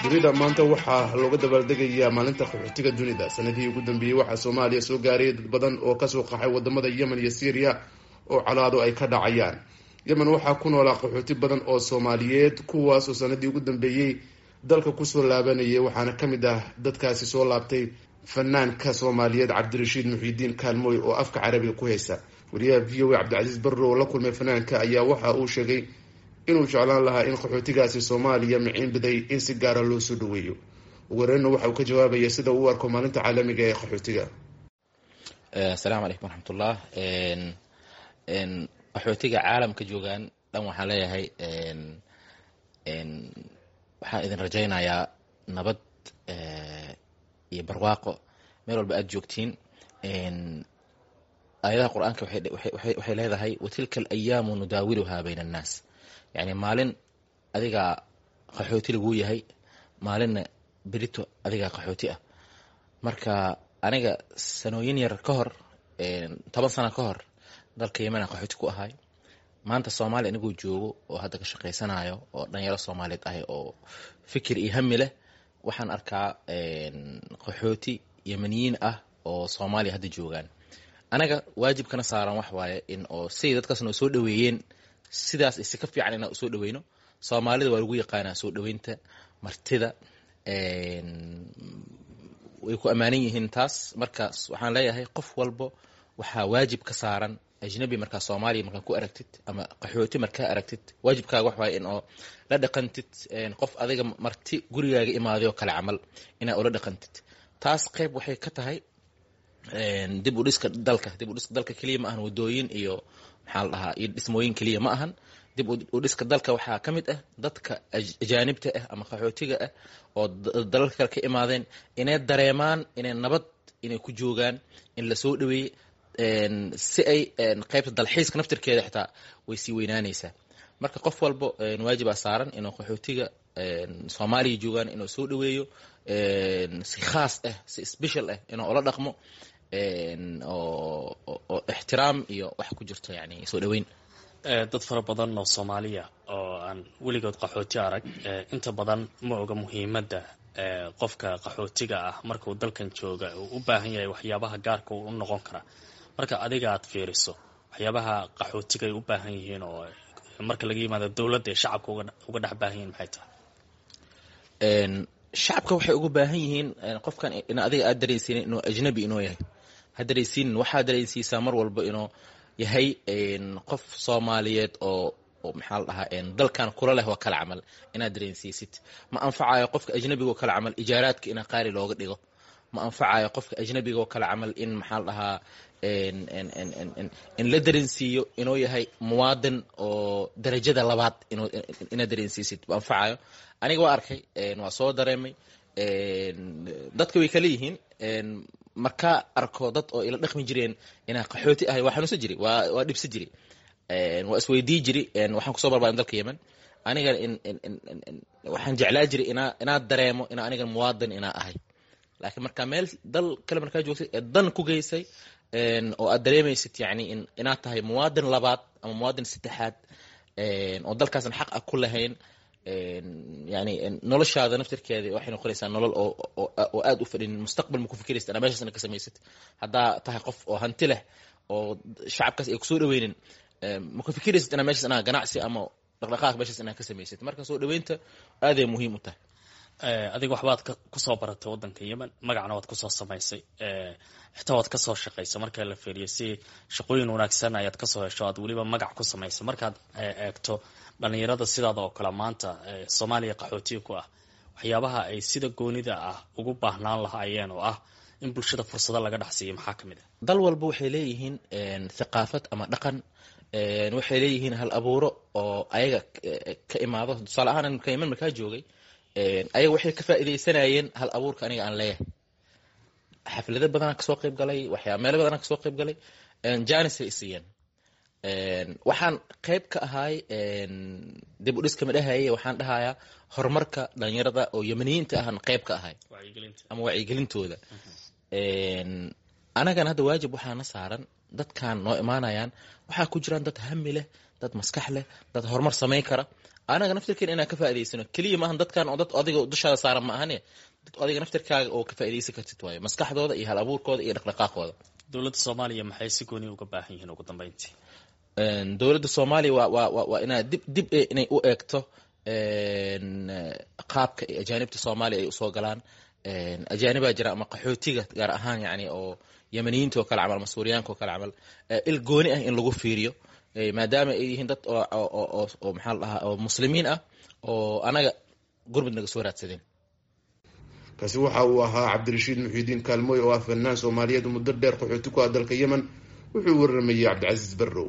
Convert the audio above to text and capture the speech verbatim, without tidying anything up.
Dunida maanta waxaa looga dabaaldegayaa maalinta qaxootiga dunida. Sanadihii ugu dambeeyey waxaa Soomaaliya soo gaarayay dad badan oo kasoo qaxay wadamada Yemen iyo Syriya oo colaado ay ka dhacayaan. Yemen waxaa ku noolaa qaxooti badan oo Soomaaliyeed, kuwaas oo sanadii ugu dambeeyey dalka kusoo laabanayay, waxaana ka mid ah dadkaasi soo laabtay fanaanka Soomaaliyeed Cabdirashiid Muxiidiin Kaalmooy oo afka Carabiga ku heysa. Wariyaha V O A Cabdicasiis Barro oo la kulmay fanaanka ayaa waxa uu sheegay inuu jeclaan lahaa in qaxootigaasi Soomaaliya miciin biday in si gaara loo soo dhaweeyo. Ugu horeyna waxa uu ka jawaabaya sida uu u arko maalinta caalamiga ee qaxootiga. Asalaamu calaykum waraxmatullah. Qaxootiga caalamka joogaan dhan waxaan leeyahay, waxaan idin rajaynayaa nabad iyo barwaaqo meel walba aad joogtiin. Aayadaha Qur-aanka waxay leedahay: "وتلك الأيام نداولها بين الناس". Yani maalin adigaa qaxooti laguu yahay, maalinna berito adigaa qaxooti ah. Marka aniga sanooyin yar ka hor, toban sano ka hor, dalka Yemen qaxooti ku ahay. Maanta Soomaaliya anigoo joogo oo hadda ka shaqaysanayo oo dhalinyaro Soomaaliyeed ahay oo fikir iyo hami leh, waxaan arkaa qaxooti Yemeniyiin ah oo Soomaaliya hadda joogaan. Anaga waajibkana saaran wax waaye in oo siday dadkaas noo soo dhaweeyeen sidaas isi ka fiican inaan usoo dhaweyno. Soomaalida waa lagu yaqaanaa soo dhaweynta martida, way ku ammaanan yihiin taas. Marka waxaan leeyahay, qof walbo waxaa waajib ka saaran ajnabi markaa Soomaaliya markaa ku aragtid ama qaxooti markaa aragtid, waajibkaaga wax waaye in oo la dhaqantid qof adiga marti gurigaaga imaaday oo kale camal inaa ula dhaqantid. Taas qayb waxay ka tahay dib u dhiska dalka. Dib u dhiska dalka keliya ma ahan wadooyin iyo, maxaa la dhahaa, iyo dhismooyin keliya ma ahan. Dib u dhiska dalka waxaa ka mid ah dadka ajaanibta ah ama qaxootiga ah oo dalalka kale ka imaadeen inay dareemaan inay nabad inay ku joogaan, in lasoo dhaweeyey, si ay qaybta dalxiiska naftirkeeda xitaa way sii weynaanaysaa. Marka qof walbo waajibaa saaran inuu qaxootiga Soomaaliya joogaan inuu soo dhaweeyo, si khaas ah, si special ah inuu ula dhaqmo oo ixtiraam iyo wax ku jirto, yani soo dhaweyn. Dad fara badan oo Soomaaliya oo aan weligood qaxooti arag inta badan ma oga muhiimadda qofka qaxootiga ah markuu dalkan jooga uu u baahan yahay, waxyaabaha gaarka uu u noqon karaa. Marka adiga aad fiiriso waxyaabaha qaxootiga ay u baahan yihiin oo marka laga yimaado dowladda ay shacabka uga dhex baahan yihiin, maxay tahay? Shacabka waxay uga baahan yihiin qofkan in adiga aad dareensiinin inuu ajnabi inuu yahay. Ha dareensiinin, waxaa dareensiisaa mar walba inuu yahay qof Soomaaliyeed oo, maxaa la dhahaa, dalkan kula leh oo kale camal inaad dareensiisid. Ma anfacayo qofka ajnabiga oo kale camal ijaaraadka inaa qaali looga dhigo. Ma anfacayo qofka ajnabiga oo kale camal in, maxaa la dhahaa, in la dareensiiyo inuu yahay muwaadin oo darajada labaad inaad dareensiisid ma anfacayo. Aniga waa arkay, waa soo dareemay, dadka way kala yihiin. Markaa arko dad oo ila dhaqmi jireen inaa qaxooti ahay, waa xanuunsan jiri, waa waa dhibsan jiri, waa isweydii jiri. Waxaan kusoo barbaarin dalka Yemen. Aniga waxaan jeclaa jiray inaa inaad dareemo inaa aniga muwaadin inaa ahay, laakiin markaa meel dal kale markaa joogtay ee dan ku geysay oo aad dareemaysid, yani inaad tahay muwaadin labaad ama muwaadin saddexaad oo dalkaasna xaq ah ku lahayn, yani noloshaada naftirkeeda waxay noqonaysaa nolol oo oo aad u fadhin. Mustaqbal ma ku fikiraysid anaa meeshaasna ka samaysid. Haddaa tahay qof oo hanti leh oo shacabkaas ay kusoo dhaweynin, ma ku fikiraysid inaa meeshaas inaa ganacsi ama dhaqdhaqaaq meeshaas inaa ka samaysid. Marka soo dhaweynta aaday muhiim u tahay. Adiga waxbaad kusoo baratay waddanka Yemen, magacna waad kusoo samaysay, xitaa waad kasoo shaqaysay. Marka la fiiriyo si shaqooyin wanaagsan ayaad kasoo hesho, aad weliba magac ku samaysay. Markaad eegto dhalinyarada sidaada oo kale maanta Soomaaliya qaxootiga ku ah, waxyaabaha ay sida goonida ah ugu baahnaan lahaayeen oo ah in bulshada fursado laga dhex siiyo, maxaa kamid ah? Dal walba waxay leeyihiin thaqaafad ama dhaqan, waxay leeyihiin hal abuuro oo ayaga ka imaado. Tusaale ahaan, marka Yemen markaa joogay, ayaga waxay ka faa'iidaysanayeen hal abuurka aniga aan leeyahay. Xaflado badanaa kasoo qayb galay, waxyaa meelo badanaa kasoo qayb galay, janisay isiiyeen. Waxaan qayb ka ahay dib u dhiska ma dhahaye, waxaan dhahayaa horumarka dhalinyarada oo Yemeniyiinta ahan qayb ka ahay ama wacyigelintooda. Anagana hadda waajib waxaana saaran dadkan noo imaanayaan waxaa ku jiraan dad hami leh, dad maskax leh, dad horumar samayn kara. Anaga naftirkeena inaan ka faa'idaysano keliya maahan dadkan oo dad adiga dushaada saaran ma ahane, dad adiga naftirkaaga oo ka faa'iidaysan kartid waayo, maskaxdooda iyo hal abuurkooda iyo dhaqdhaqaaqooda. Dowladda Soomaaliya maxay si gooni uga baahan yihiin ugu dambeyntii? Dowladda Soomaaliya waa waa waa waa inaa dib dib inay u eegto qaabka ay ajaanibta Soomaaliya ay usoo galaan. Ajaanibaa jira ama qaxootiga gaar ahaan, yani oo Yemaniyiinta oo kale camal ama Suuriyaanka oo kale camal, il gooni ah in lagu fiiriyo, maadaama ay yihiin dad oo oo oo maxaa la dhahaa, oo muslimiin ah oo anaga gurmud naga soo raadsadeen. Kaasi waxa uu ahaa Cabdirashiid Muxiidiin Kaalmooy oo ah fanaan Soomaaliyeed muddo dheer qaxooti ku ah dalka Yemen. Wuxuu waramayey Cabdicasiis Barrow.